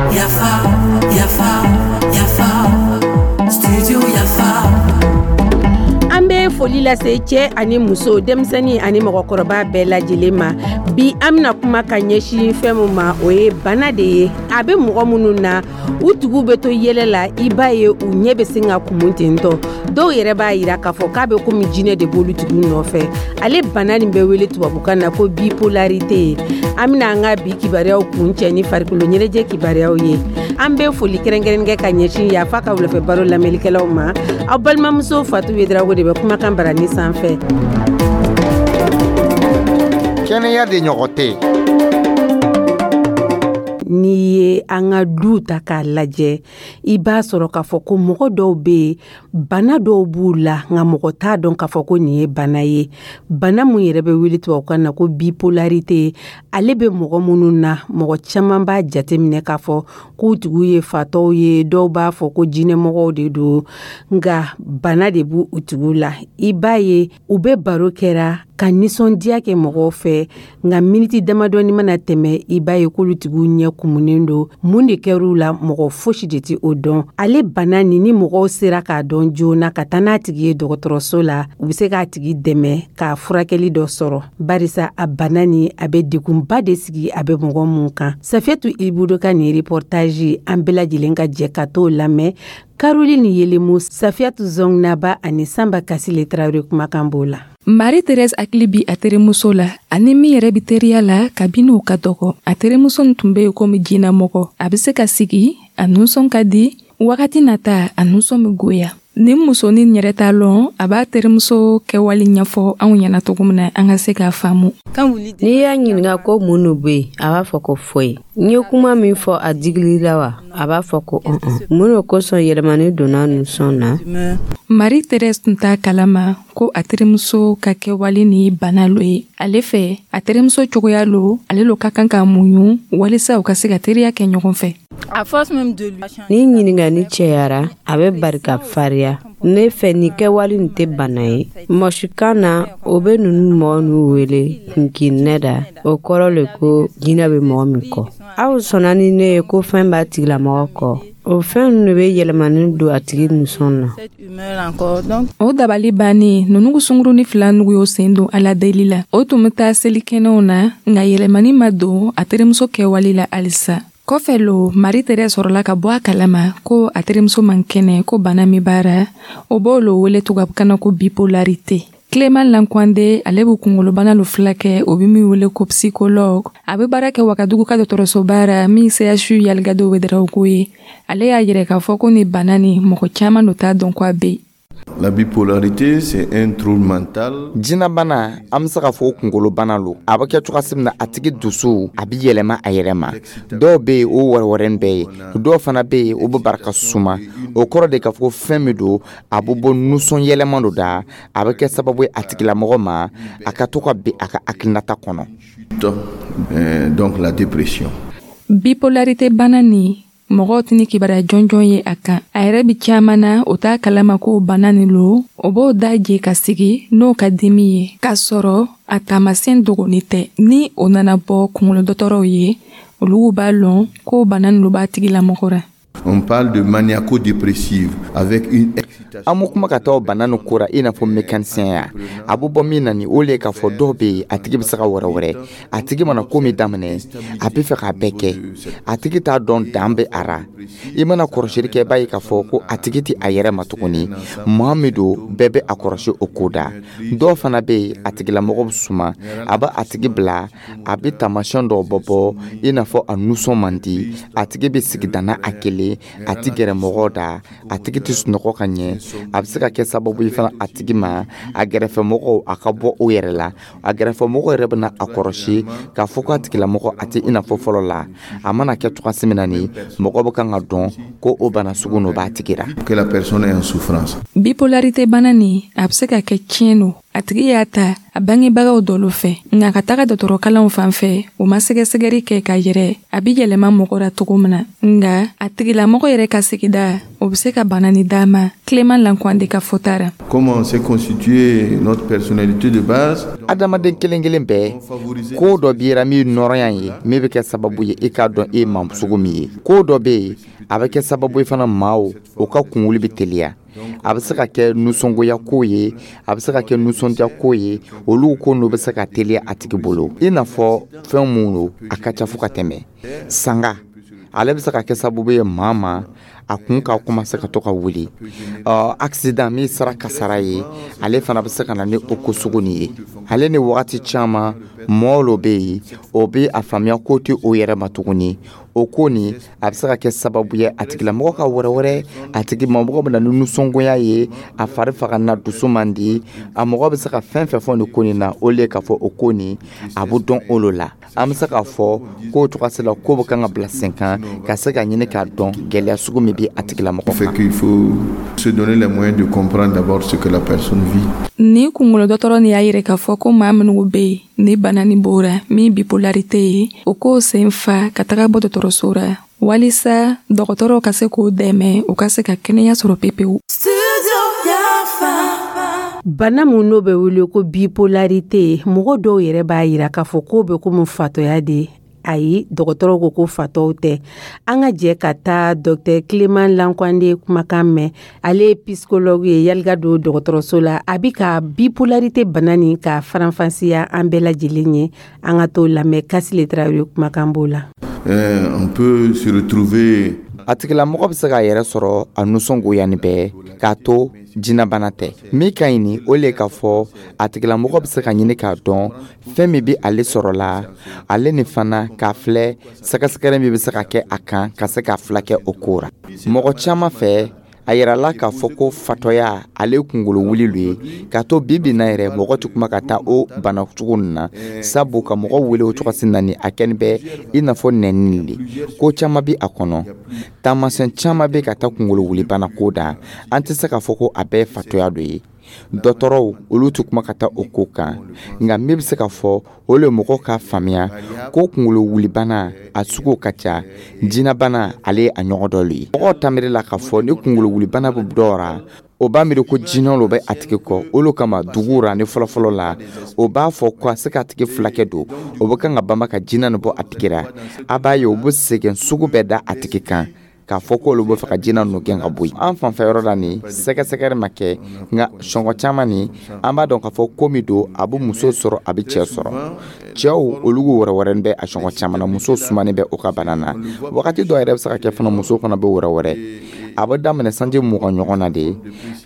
Yafa, yafa, yafa, studio Yafa. An bɛ foli lase cɛ ani muso, denmisɛnnin ani mɔgɔkɔrɔba bɛɛ lajɛlen ma. Bi, an bɛna kuma ka ɲɛsin fɛn min ma, o ye bana de ye. A bɛ mɔgɔ minnu na, u tigiw bɛ to yɛlɛ la, i b'a ye u ɲɛ bɛ sin ka kumu tentɔ. Dɔw yɛrɛ b'a yira k'a fɔ k'a bɛ komi jinɛ de b'olu tigiw nɔfɛ. Ale bana nin bɛ wele tubabukan na ko bipolarité ye. An bɛna an ka bi kibaruyaw kuncɛ ni farikolo ɲɛnajɛ kibaruyaw ye. An bɛ foli kɛrɛnkɛrɛn kɛ ka ɲɛsin Yafa ka wulafɛ baro lamɛnlikɛlaw ma. Aw balimamuso Fatu Wedarago de bɛ kumakan barani sanfɛ. Kɛnɛya de ɲɔgɔn tɛ. N'i ye an ka du ta k'a lajɛ, i b'a sɔrɔ k'a fɔ ko mɔgɔ dɔw bɛ yen, bana dɔw b'u la, nka mɔgɔ t'a dɔn k'a fɔ ko nin ye bana ye. Bana mun yɛrɛ bɛ wele tubabukan na ko bipolarité, ale bɛ mɔgɔ minnu na, mɔgɔ caman b'a jateminɛ k'a fɔ k'u tigiw ye fatɔw ye. Dɔw b'a fɔ ko jinɛmɔgɔw de don, nka bana de b'u u tigiw la. I b'a ye u bɛ baro kɛra ka nisɔndiya kɛ mɔgɔw fɛ, nka miniti damadɔni mana tɛmɛ, i b'a ye k'olu tigiw ɲɛ kumunen don. Mun de kɛr'u la, mɔgɔ fosi de tɛ o dɔn. Ale bana nin, ni mɔgɔw sera k'a dɔn joona ka taa n'a tigi ye dɔgɔtɔrɔso la, u bɛ se k'a tigi dɛmɛ k'a furakɛli dɔ sɔrɔ, barisa a bana nin, a bɛ degunba de sigi a bɛ mɔgɔ mun kan. Safiyatu Ibudo ka nin reportage, an bɛɛ lajɛlen ka jɛ ka t'o lamɛn. Caroline Yelemu, Safiyatu Zɔngnaba ani Sanba Kasile Tarawele kumakan b'o la. Marie Therese hakili bi a terimuso la, ani min yɛrɛ bi teriya la kabini u ka dɔgɔ. A terimuso nin tun be yen komi jinamɔgɔ. A be se ka sigi, a nusɔn ka di, wagati nata a nusɔn be goya. Nin musonin yɛrɛ t'a lɔn a b'a terimuso kɛwale ɲɛfɔ anw ɲɛna cogo min na an ka se k'a faamu. N'i y'a ɲininka ko mun de bɛ yen, a b'a fɔ ko foyi. N ye kuma min fɔ, a digili la wa? A b'a fɔ ko ɔn. Mun de kosɔn yɛlɛmani donna nusɔn na? Marie Therese tun t'a kalama ko a terimuso ka kɛwale ni bana lo ye. Ale fɛ, a terimuso cogoya lo, ale lo ka kan ka muɲu walisa u ka se ka teriya kɛ ɲɔgɔn fɛ. Ni ɲininkali cɛyara, a bɛ bari ka fariya. Ne fɛ, nin kɛwale nin tɛ bana ye. Mɔsikan na, o bɛ ninnu mɔgɔ ninnu wele kunkirinɛ da. O kɔrɔ le ko jinɛ bɛ mɔgɔ min kɔ. Aw sɔnna ni ne ye ko fɛn b'a tigilamɔgɔ kɔ. O fɛn ninnu de bɛ yɛlɛmani don a tigi nusɔn na. O dabali bannen, ninnu sunguruni fila nugu y'o sen don Ala deli la. O tun bɛ taa selikɛnɛw na, nka yɛlɛmani ma don a terimuso kɛwale la halisa. Kɔfɛ lo, Marie Therese sɔrɔla ka bɔ a kalama ko a terimuso man kɛnɛ, ko bana min b'a ra, o b'o lo wele tubabukan na ko bipolarité. Clément Lankwande, ale bɛ kunkolobana lo filakɛ, o bɛ min wele ko psychologue. A bɛ baara kɛ Wagadugu ka dɔgɔtɔrɔsoba ra min CHU Yalikado Ouédraogo ye. Ale y'a yɛrɛ k'a fɔ ko nin bana nin, mɔgɔ caman lo t'a dɔn ko a bɛ yen. La bipolarité, c'est un trouble mental. Jinɛbana, an bɛ se k'a fɔ kunkolobana lo. A bɛ kɛ cogoya min na, a tigi dusu a bɛ yɛlɛma a yɛrɛ ma. Dɔw bɛ yen, o wɛrɛ bɛɛ ye. Dɔw fana bɛ yen, o bɛ barika suma. O kɔrɔ de k'a fɔ ko fɛn min don, a bɛ bɔ nusɔn yɛlɛma dɔ da. A bɛ kɛ sababu ye a tigilamɔgɔ ma, a ka to ka bin a ka hakilinata kɔnɔ. Donc la dépression. Bipolarité bana nin, mɔgɔw tɛ ni kibaruya jɔnjɔn ye a kan. A yɛrɛ bi caman na, o t'a kalama ko bana nin lo. O b'o da je ka sigi n'o ka dimi ye, k'a sɔrɔ a taamasiyɛn dogoni tɛ. Ni o nana bɔ kunkolo dɔgɔtɔrɔw ye, olu b'a lɔn ko bana nin lo b'a tigilamɔgɔ ra. On parle de maniaco-dépressive avec une An bɛ kuma ka taa bana nin ko ra i n'a fɔ mécanicien ya. A bɛ bɔ min na ni o le ye k'a fɔ dɔw bɛ yen, a tigi bɛ se ka wɛrɛ wɛrɛ. A tigi mana ko min daminɛ, a bɛ fɛ k'a bɛɛ kɛ. A tigi t'a dɔn dan bɛ a ra. I mana kɔrɔsili kɛ, i b'a ye k'a fɔ ko a tigi tɛ a yɛrɛ ma tuguni. Maa min don, bɛɛ bɛ a kɔrɔsi o ko da. Dɔw fana bɛ yen, a tigilamɔgɔ bɛ suma. A bɛ a tigi bila, a bɛ taamasiyɛn dɔw bɔ bɔ i n'a fɔ a nusɔn man di. A tigi bɛ sigida n'a a kelen, a tɛ gɛrɛ mɔgɔw da, a tigi tɛ sunɔgɔ ka ɲɛ. A bɛ se ka kɛ sababu ye fana a tigi ma, a gɛrɛfɛmɔgɔw a ka bɔ o yɛrɛ la. A gɛrɛfɛmɔgɔw yɛrɛ bɛna a kɔrɔsi k'a fɔ ko a tigilamɔgɔ a tɛ i n'a fɔ fɔlɔ la. A mana kɛ cogoya min na ni mɔgɔ bɛ kan ka dɔn ko o bana sugu n'o b'a tigi la. Que la personne est en souffrance. Bipolarité bana nin, a bɛ se ka kɛ tiɲɛ lo. A tigi y'a ta a bangebagaw dɔlu fɛ, nka ka taga dɔgɔtɔrɔkalanw fan fɛ, o ma sɛgɛsɛgɛli kɛ ka yɛrɛ a bi yɛlɛma mɔgɔ ra cogo min na. Nka a tigilamɔgɔ yɛrɛ ka sigida, o bɛ se ka bana ni d'a ma. Clément Lankwande ka fɔta ra. Comment s'est constituée notre personnalité de base? Adamaden kelen kelen bɛɛ, ko dɔ b'i ra min nɔrɔya ye, min bɛ kɛ sababu ye i k'a dɔn e maa sugu min ye. Ko dɔ bɛ yen, a bɛ kɛ sababu ye fana maaw o ka kunwuli bɛ teliya. A bɛ se ka kɛ nisɔngoya ko ye, a bɛ se ka kɛ nisɔndiya ko ye, olu ko n'o bɛ se ka teliya a tigi bolo. I n'a fɔ fɛn mun don, a ka ca fo ka tɛmɛ sanga. Ale bɛ se ka kɛ sababu ye maa ma a kun ka commencer ka to ka wuli. Ɔ accident min sera kasara ye, ale fana bɛ se ka na ni o ko sugu nin ye. Ale ni wagati caman, mɔgɔ dɔ bɛ yen, o bɛ a faamuya ko tɛ o yɛrɛ ma tuguni. O ko nin, a bɛ se ka kɛ sababu ye a tigilamɔgɔ ka wɛrɛ wɛrɛ, a tigi mɔgɔ bɛ na ni nisɔngoya ye, a fari faga na, dusu man di. A mɔgɔ bɛ se ka fɛn fɛn fɔ nin ko nin na, o le k'a fɔ o ko nin a bɛ dɔn o lo la. An bɛ se k'a fɔ k'o cogoya la, ko bɛ kan ka bila sen kan ka se ka ɲini k'a dɔn gɛlɛya sugu min bɛ a tigilamɔgɔ kan. Qu'il faut se donner les moyens de comprendre d'abord ce que la personne vit. Ni kunkolo dɔgɔtɔrɔ nin y'a yira k'a fɔ ko maa minnu bɛ yen ni bana nin b'o ra, min bipolarité ye, o k'o sen fa ka taga bɔ dɔgɔtɔrɔso ra walisa dɔgɔtɔrɔw ka se k'o dɛmɛ, u ka se ka kɛnɛya sɔrɔ pepewu. Bana mun n'o bɛ wele ko bipolarité, mɔgɔ dɔw yɛrɛ b'a yira k'a fɔ k'o bɛ komi fatɔya de. Ayi, dɔgɔtɔrɔw ko ko fatɔw tɛ. An ka jɛ ka taa docteur Clément Lankwande kumakan mɛn. Ale ye psychologue ye Yalika don dɔgɔtɔrɔso la. A bi ka bipolarité bana nin ka faranfasiya an bɛɛ lajɛlen ye. An ka t'o lamɛn, Kasile Tarawele kumakan b'o la. On peut se retrouver. A tigilamɔgɔ bɛ se k'a yɛrɛ sɔrɔ a nisɔngoya ni bɛɛ k'a to jinɛbana tɛ. Min ka ɲi ni o le k'a fɔ a tigilamɔgɔ bɛ se ka ɲini k'a dɔn fɛn min bɛ ale sɔrɔ la, ale ni fana k'a filɛ sɛgɛsɛgɛli min bɛ se ka kɛ a kan ka se k'a filakɛ o ko ra. Mɔgɔ caman fɛ, a yirala k'a fɔ ko fatɔya ale kunkolo wuli lo ye. K'a to bi bi na yɛrɛ, mɔgɔ tɛ kuma ka taa o bana cogo nin na, sabu ka mɔgɔ wele o cogo na ni a kɛni bɛ i n'a fɔ nɛni le. Ko caman bɛ a kɔnɔ, taamasiyɛn caman bɛ ka taa kunkolo wuli bana ko da. An tɛ se k'a fɔ ko a bɛɛ ye fatɔya dɔ ye. Dɔgɔtɔrɔw, olu tɛ kuma ka taa o ko kan. Nka min bɛ se ka fɔ, o le mɔgɔw k'a faamuya ko kunkolo wulibana a sugu ka ca, jinɛbana ale ye a ɲɔgɔn dɔ le ye. Mɔgɔw ta miiri la k'a fɔ ni kunkolo wulibana bɛ dɔw ra, o b'a miiri ko jinɛ lo bɛ a tigi kɔ. O lo kama dugu ra ni fɔlɔfɔlɔ la, o b'a fɔ ko a se k'a tigi filakɛ don, o bɛ kan ka banba ka jinɛ nin bɔ a tigi ra. A b'a ye o bɛ sɛgɛn sugu bɛɛ da a tigi kan k'a fɔ k'olu bɛ fɛ ka jinɛ ninnu gɛn ka bɔ yen. An fanfɛ yɔrɔ la nin, sɛgɛsɛgɛli ma kɛ, nka sɔngɔ caman nin, an b'a dɔn k'a fɔ ko min don, a bɛ muso sɔrɔ, a bɛ cɛ sɔrɔ. Cɛw olu wɛrɛ wɛrɛ bɛ a sɔngɔ caman na, muso sumanen bɛ o ka bana na. Wagati dɔw yɛrɛ bɛ se ka kɛ fana, muso fana bɛ wɛrɛ wɛrɛ. A bɛ daminɛ sanji 20 ɲɔgɔn na de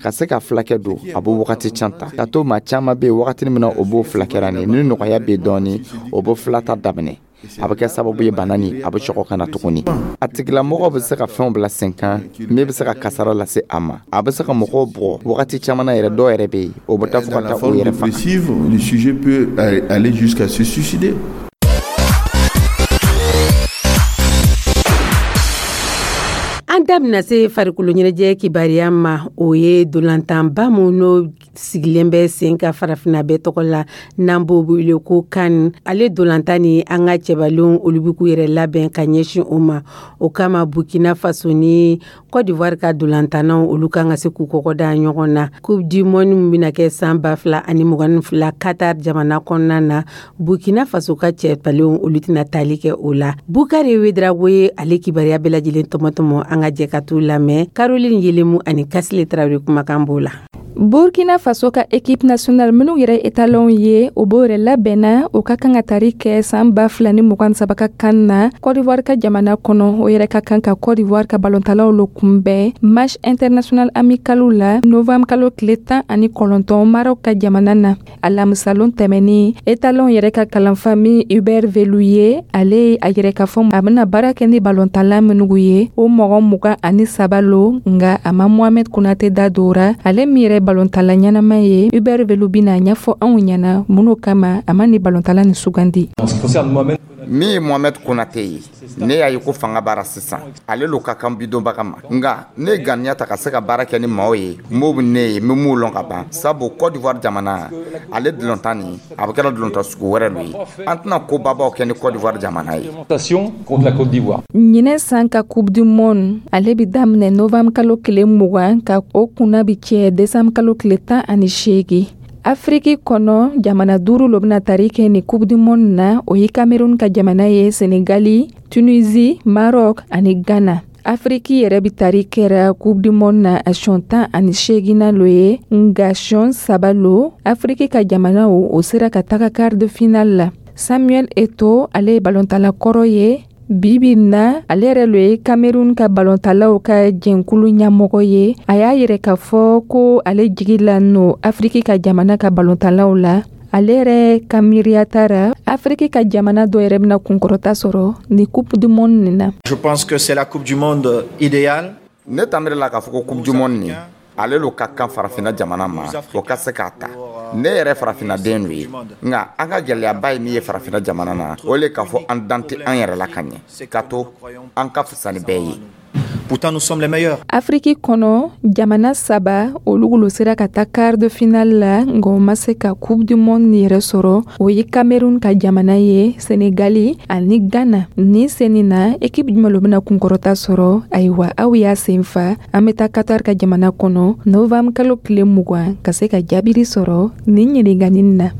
ka se ka filakɛ don, a bɛ wagati can ta ka to. Maa caman bɛ yen, wagati min na o b'o filakɛra nin ni nɔgɔya bɛ dɔɔnin, o bɛ filata daminɛ, a bɛ kɛ sababu ye bana nin a bɛ sɔgɔ ka na tuguni. A tigilamɔgɔ bɛ se ka fɛnw bila sen kan min bɛ se ka kasara lase a ma. A bɛ se ka mɔgɔw bugɔ wagati caman na yɛrɛ. Dɔw yɛrɛ bɛ yen, o bɛ taa fo ka taa o yɛrɛ faga. Le sujet peut aller jusqu'à se suicider. An da bɛna se farikolo ɲɛnajɛ kibaruya ma. O ye dolantanba mun n'o sigilen bɛ sen ka farafinna bɛɛ tɔgɔ la, n'an b'o wele ko CAN. Ale dolantan ni an ka cɛbalenw, olu bɛ k'u yɛrɛ labɛn ka ɲɛsin o ma. O kama, Burkina Faso ni Côte d'Ivoire ka dolantannaw, olu kan ka se k'u kɔkɔ da ɲɔgɔn na Coupe du monde min bɛna kɛ san 2022 Qatar jamana kɔnɔna na. Burkina Faso ka cɛbalenw, olu tɛna tali kɛ o la. Bukari Wedrago ye ale kibaruya bɛɛ lajɛlen tɔmɔtɔmɔ. An ka jɛ ka t'u lamɛn. Caroline Yelemu ani Kasile Tarawele kumakan b'o la. Burkina Faso ka équipe nationale minnu yɛrɛ étalon ye, o b'o yɛrɛ labɛnna, o ka kan ka tari kɛ san 2023 ka CAN na Côte d'Ivoire ka jamana kɔnɔ. O yɛrɛ ka kan ka Côte d'Ivoire ka balontalaw lo kunbɛn match international amical la novembre kalo tile 19 Maroc ka jamana na. Alamisalon tɛmɛnin, étalon yɛrɛ ka kalanfa min Hubert Velu ye, ale a yɛrɛ ka fɔ a bɛna baara kɛ ni balontala minnu ye, o mɔgɔ 23 lo, nka a ma Mohamed Konate da dora, ale min yɛrɛ balontala ɲɛnama ye. Hubert Velu bɛna ɲɛfɔ anw ɲɛna mun kama a ma ni balontala ni sugandi. Min ye Mohamed Konate ye, ne y'a ye ko fanga b'ara sisan, ale lo ka kan bidonbaga ma. Nka ne ye ganiya ta ka se ka baara kɛ ni maaw ye m'o bɛ ne ye, n bɛ m'u lɔn ka ban, sabu Côte d'Ivoire jamana ale dulontan nin, a bɛ kɛra dulontan sugu wɛrɛ lo ye. An tɛna kobabaw kɛ ni Côte d'Ivoire jamana ye. Ɲinɛ san ka Coupe du Monde, ale bɛ daminɛ novembre kalo tile 20 ka o kunna bi cɛ décembre kalo tile 18. Afiriki kɔnɔ, jamana duuru lo bɛna tari kɛ ni Coupe du Monde na. O ye Cameroun ka jamana ye, Senegali, Tunisie, Maroc ani Ghana. Afiriki yɛrɛ bɛ tari kɛra Coupe du Monde na a siɲɛ 18nan lo ye, nka siɲɛ saba lo Afiriki ka jamanaw o sera ka taga quart de finale la. Samuel Eto'o, ale ye balontala kɔrɔ ye. Bibi na, ale yɛrɛ lo ye Cameroun ka balontalaw ka jɛnkulu ɲɛmɔgɔ ye. A y'a yɛrɛ k'a fɔ ko ale jigi la no Afiriki ka jamana ka balontalaw la. Ale yɛrɛ ka miiriya tara, Afiriki ka jamana dɔ yɛrɛ bɛna kunkɔrɔta sɔrɔ ni Coupe du Monde nin na. Je pense que c'est la Coupe du Monde idéale. Ne tanbere la k'a fɔ ko Coupe du Monde nin, ale lo ka kan farafinna jamana ma, o ka se k'a ta. Ne yɛrɛ farafinnaden do ye, nka an ka gɛlɛyaba ye min ye farafinna jamana na, o le k'a fɔ an dan tɛ an yɛrɛ la ka ɲɛ, ka to an ka fisa ni bɛɛ ye. Pourtant, nous sommes les meilleurs. Afiriki kɔnɔ, jamana saba olu lo sera ka taa quart de finale la, nka o ma se ka Coupe du Monde yɛrɛ sɔrɔ. O ye Cameroun ka jamana ye, Senegali ani Ghana. Ni sen na, équipe jumɛn lo bɛna kunkɔrɔta sɔrɔ? Ayiwa, aw y'a sen fa, an bɛ taa Qatar ka jamana kɔnɔ novembre kalo tile 20 ka se ka jaabiri sɔrɔ nin ɲininkali na.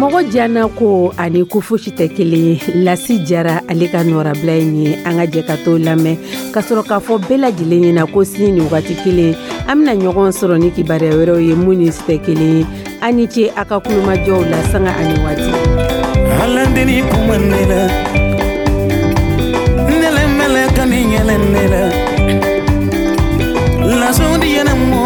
Mɔgɔ diyanna ko ani ko fosi tɛ kelen ye. Lasi Jara, ale ka nɔrabila ye nin ye. An ka jɛ ka t'o lamɛn ka sɔrɔ k'a fɔ bɛɛ lajɛlen ɲɛna ko sini nin wagati kelen, an bɛna ɲɔgɔn sɔrɔ ni kibaruya wɛrɛw ye mun ni si tɛ kelen ye. An ni ce a ka kulomajɔw la sanga ani waati. Alandeni kuma ne la, nɛlɛ mɛlɛ ka ni yɛlɛ ne la, lasɔndi yɛlɛ mɔ.